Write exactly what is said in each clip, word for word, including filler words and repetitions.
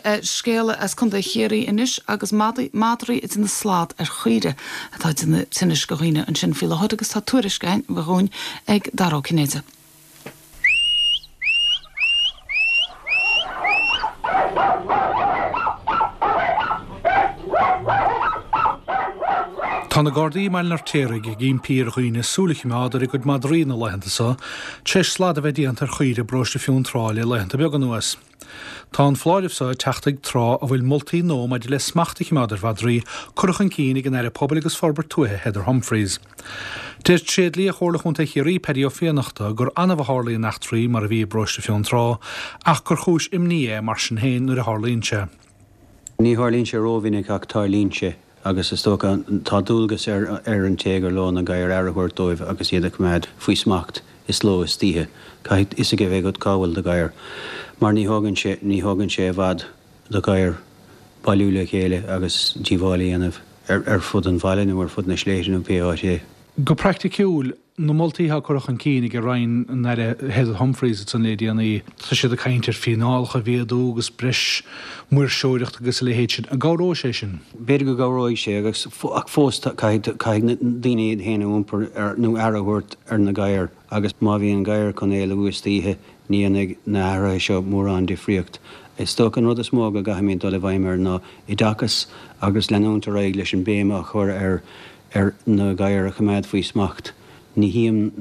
Scéala as Contae Chiarraí anois agus madraí ag déanamh slad ar chaoire atá ag déanamh tinnis do dhaoine ansin faoi láthair agus tá tuairisc againn ag Dara Ó Cinnéide. Tá na Gardaí i mBaile an Fheirtéaraigh ag impí ar dhaoine súil a choimeád ar a gcuid madraí na laethanta seo, tar éis slad a bheith déanta ar chaoire i bparóiste Fionntrá le laethanta beaga anuas. Tá an foláireamh seo ag teacht ag tráth a bhfuil moltaí nua maidir le smacht a choimeád ar mhadraí curtha chun cinn ag an Aire Pobail agus Forbairt Tuaithe Heather Humphreys. Deir tréidlia Chomhairle Chontae Chiarraí Paddy Ó Fiannachta gur annamh a tharlaíonn eachtraí mar a bhí i bparóiste Fionntrá ach gur chúis imní é mar sin féin nuair a tharlaíonn sé. Ní tharlaíonn sé rómhinic ach tarlaíonn sé agus is dócha tá dualgas ar ar an té gur leo na gadhair aire a thabhairt dóibh agus iad a choimeád faoi smacht is ló is oíche. Caithfidh fhios a bheith agat cá bhfuil do ghadhar mar ní thógann sé ní thógann sé i bhfad do ghadhar bailiú le chéile agus díobháil a dhéanamh ar ar fud an bhaile nó ar fud na sléibhte nó pé áit é. Go praiticiúil, na moltaí atá curtha chun cinn ag Roinn an Aire Heather Humphreys ansan le déanaí, tá siad ag caint ar fíneálacha a mhéadú agus breis maoirseoireachta agus a leithéid sin. An gcabhróidh sé sin? B'fhéidir go gcabhróidh sé agus ach fós caithfidh caithfidh na daoine iad féin a iompar ar nó aire a thabhairt ar na gadhair agus má bhíonn gadhar chun éalú istoíche ní dhéanfaidh na hathruithe seo mórán difríocht. Is dócha an rud is mó go gcaithfimid dul i bhfeidhm air ná oideachas agus leanúint ar aghaidh leis an béim a chur ar ar na gadhair a choimeád faoi smacht. Ní tchím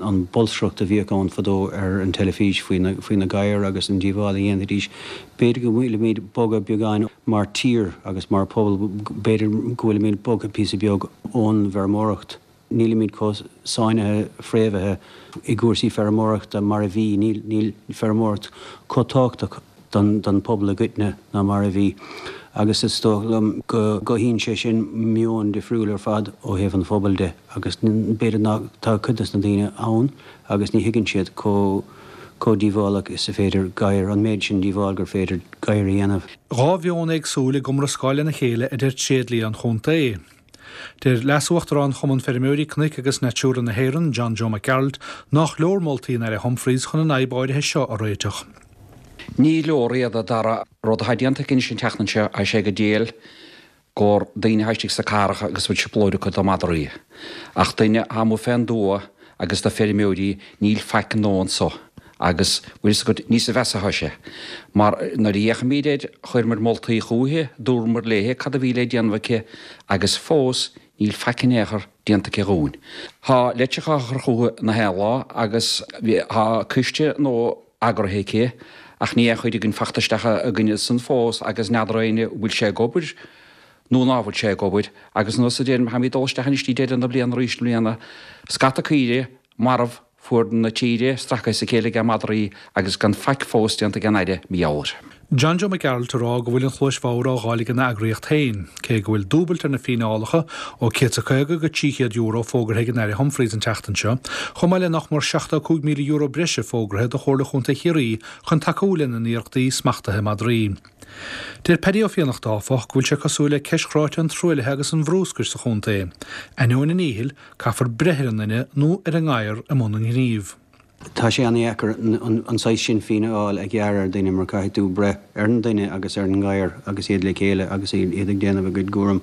an bolscaireacht a bhíodh ann fadó ar an teilifís faoi na faoi na gadhair agus an díobháil a dhéanfaidís. B'fhéidir go bhfuilimid bogtha beagáin mar tír agus mar phobal, b'fhéidir go bhfuilimid bogtha píosa beag ón bhfeirmeoireacht. Nílimid chomh sáinnithe fréamhaithe i gcúrsaí feirmeoireachta mar a bhí, níl níl feirmeoireacht chomh tábhachtach don don phobal i gcoitinne ná mar a bhí agus is dóigh liom go gcothaíonn sé sin meon difriúil ar fad ó thaobh an phobail de agus b'fhéidir nach tá cuid de na daoine ann agus ní thuigeann siad chomh chomh díobhálach is a féidir gadhair, an méid sin díobháil gur féidir gadhair a dhéanamh. Dhá mheon éagsúil ag iomrascáil lena chéile a deir tréidlia an chontae. Deir Leas-Uachtarán Chumann Feirmeoirí Cnoic agus Natura na hÉireann, John Joe Mac Gearailt, nach leor moltaí an Aire Humphreys chun an fhadhb áirithe seo a réiteach. Ní leor iad, a Dhara. Rud atá déanta aici anois an tseachtain seo, tá sé go diail gur daoine atá istigh sna cathracha agus bhfuil sioplóid acu do madraí. Ach duine atá amuigh fén dtuath agus do feirmeoirí níl faic nua anso. Agus, bhfuil fhios agat, ní sa mheas atá sé. Mar nuair a fhéachaimid air, chuireamar moltaí chúichi, dúramar léi cad a bhí le déanamh aici agus fós níl faic in aon chor déanta aici dhúinn. Tá litreacha á chur chúichi na haon lá agus tá coiste nua eagraithe aici ach níl aon chuid againn fachta isteach againne san fós agus n'fheadar éinne bhfuil sé ag obair nó ná bhfuil sé ag obair agus nós a deirim, táimid ag dul isteach anois dtí deireadh na bliana arís i mbliana, scata caoire marbh fuaid na tíre, stractha as a chéile ag madraí agus gan faic fós déanta ag an Aire, mar gheall air. John Joe Mac Gearailt ag rá go bhfuil an chluais bhodhar á fháil ag an eagraíocht féin, cé go bhfuil dúbailt ar na fíneálacha ó céad is a caoga go trí chéad euro fógartha ag an Aire Humphreys an tseachtain seo, chomh maith le nach mór seachtó cúig míle euro breise fógartha do Chomhairle Chontae Chiarraí chun tacú lena n-iarrachtaí smachtaithe madraí. Deir Paddy Ó Fiannachta, áfach, go bhfuil sé cosúil le ceist chráite an truaillithe agus an bhrúscair sa chontae. Ainneoin a ndíchill, caithfear breith ar an nduine nó ar an ngadhar i mbun an ghnímh. Tá sé an-dheacair an saghas sin fíneáil a ghearradh ar dhuine mar caithfidh tú breith ar an duine agus ar an ngadhar agus iad le chéile agus iad ag déanamh a gcuid cúraim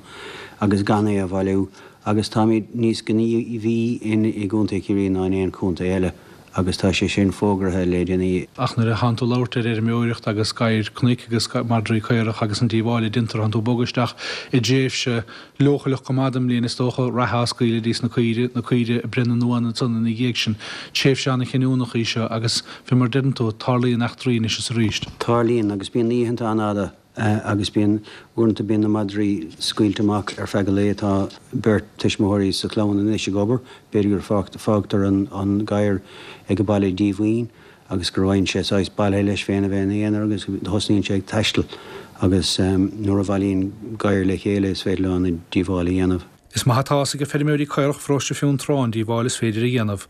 agus gan é a bhailiú agus táimid níos gníomhaí in i gContae Chiarraí ná in aon chontae eile agus tá sé sin fógartha le déanaí. Ach nuair a thánn tú ag labhairt ar fheirmeoireacht agus gadhair cnoic agus madraí caorach agus an díobháil a déantar, thánn tú ag bogadh isteach i dtréimhse leochaileach go maith den mbliain is dócha, reithe á scaoileadh dís na caoire, na caoire ag breith na n-uan ansan ina dhiaidh sin. Tréimhse an-chinniúnach í seo agus, fé mar a deireann tú, tarlaíonn eachtraí anois is arís. Tarlaíonn agus bíonn na oícheanta an-fhada agus bíonn, uaireanta bíonn na madraí scaoilte amach ar feadh an lae. Tá beirt tuismitheoirí sa chlann anois ag obair, b'fhéidir gur fágtar an gadhar ag an baile díomhaoin agus go bhfaigheann sé saghas baile leis féin a bheith ina aonar agus thosnaíonn sé ag taisteal agus nuair a bhailíonn gadhair le chéile is féidir leo an-díobháil a dhéanamh. Is maith atá fhios ag feirmeoirí caorach pharóiste Fionntrá an díobháil is féidir a dhéanamh.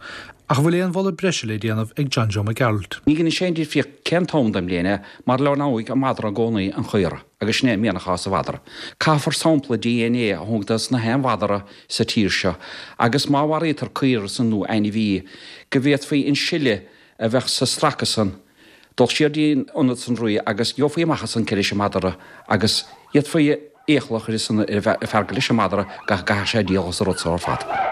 Ach an bhfuil aon mholadh breise le déanamh ag John Joe Mac Gearailt? Ní dhéanann sé aon difríocht cén t-am den mbliain é mar leomhnóidh an madra i gcónaí an chaora agus sin é an mianach atá sa mhadra. Caithfear sampla DNA a thógaint dos na haon mhadra sa tír seo agus má mharaítear caora san nó ainmhí go bhféadfaí an sil a bheadh sa stracadh san Dul siar dtí'n ionad sonraí agus gheofaí amach ansan cé leis an madra agus d'fhéadfaí iachall a chur ar an fear gur leis an madra go gcaithfeadh sé díol as an rud so ar fad.